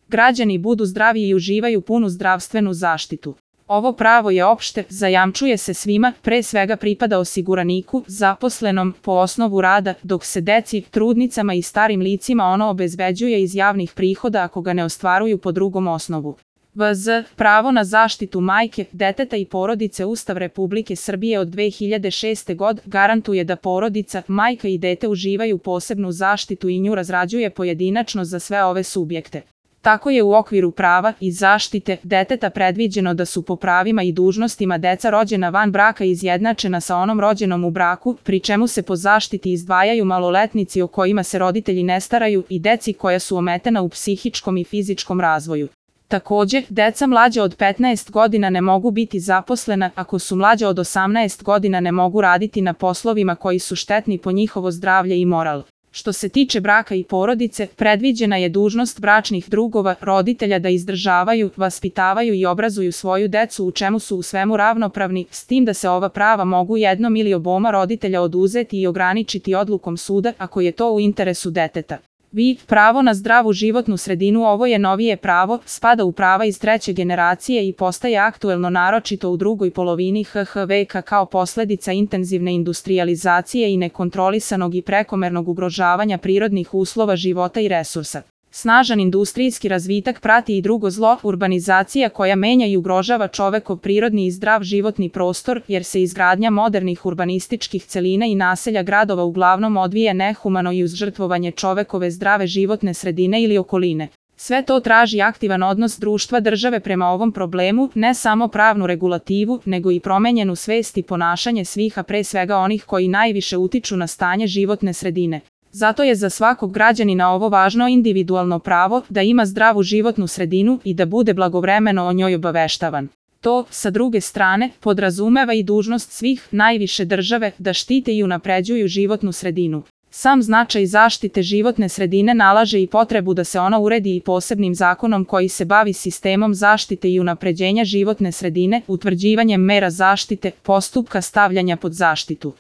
građani budu zdravi i uživaju punu zdravstvenu zaštitu. Ovo pravo je opšte, zajamčuje se svima, pre svega pripada osiguraniku, zaposlenom po osnovu rada, dok se deci, trudnicama i starim licima ono obezbeđuje iz javnih prihoda ako ga ne ostvaruju po drugom osnovu. VZ. Pravo na zaštitu majke, deteta i porodice. Ustav Republike Srbije od 2006. godine garantuje da porodica, majka i dete uživaju posebnu zaštitu i nju razrađuje pojedinačno za sve ove subjekte. Tako je u okviru prava i zaštite deteta predviđeno da su po pravima i dužnostima deca rođena van braka izjednačena sa onom rođenom u braku, pri čemu se po zaštiti izdvajaju maloletnici o kojima se roditelji ne staraju i deci koja su ometena u psihičkom i fizičkom razvoju. Takođe, deca mlađa od 15 godina ne mogu biti zaposlena, ako su mlađa od 18 godina ne mogu raditi na poslovima koji su štetni po njihovo zdravlje i moral. Što se tiče braka i porodice, predviđena je dužnost bračnih drugova, roditelja da izdržavaju, vaspitavaju i obrazuju svoju decu u čemu su u svemu ravnopravni, s tim da se ova prava mogu jednom ili oboma roditelja oduzeti i ograničiti odlukom suda ako je to u interesu deteta. Pravo na zdravu životnu sredinu. Ovo je novije pravo, spada u prava iz treće generacije i postaje aktuelno naročito u drugoj polovini HH veka kao posledica intenzivne industrijalizacije i nekontrolisanog i prekomernog ugrožavanja prirodnih uslova života i resursa. Snažan industrijski razvitak prati i drugo zlo, urbanizacija koja menja i ugrožava čovekov prirodni i zdrav životni prostor, jer se izgradnja modernih urbanističkih celina i naselja gradova uglavnom odvija nehumano i uz žrtvovanje čovekove zdrave životne sredine ili okoline. Sve to traži aktivan odnos društva države prema ovom problemu, ne samo pravnu regulativu, nego i promenjenu svest i ponašanje svih, a pre svega onih koji najviše utiču na stanje životne sredine. Zato je za svakog građanina ovo važno individualno pravo da ima zdravu životnu sredinu i da bude blagovremeno o njoj obaveštavan. To, sa druge strane, podrazumeva i dužnost svih, najviše države, da štite i unapređuju životnu sredinu. Sam značaj zaštite životne sredine nalaže i potrebu da se ona uredi i posebnim zakonom koji se bavi sistemom zaštite i unapređenja životne sredine, utvrđivanjem mera zaštite, postupka stavljanja pod zaštitu.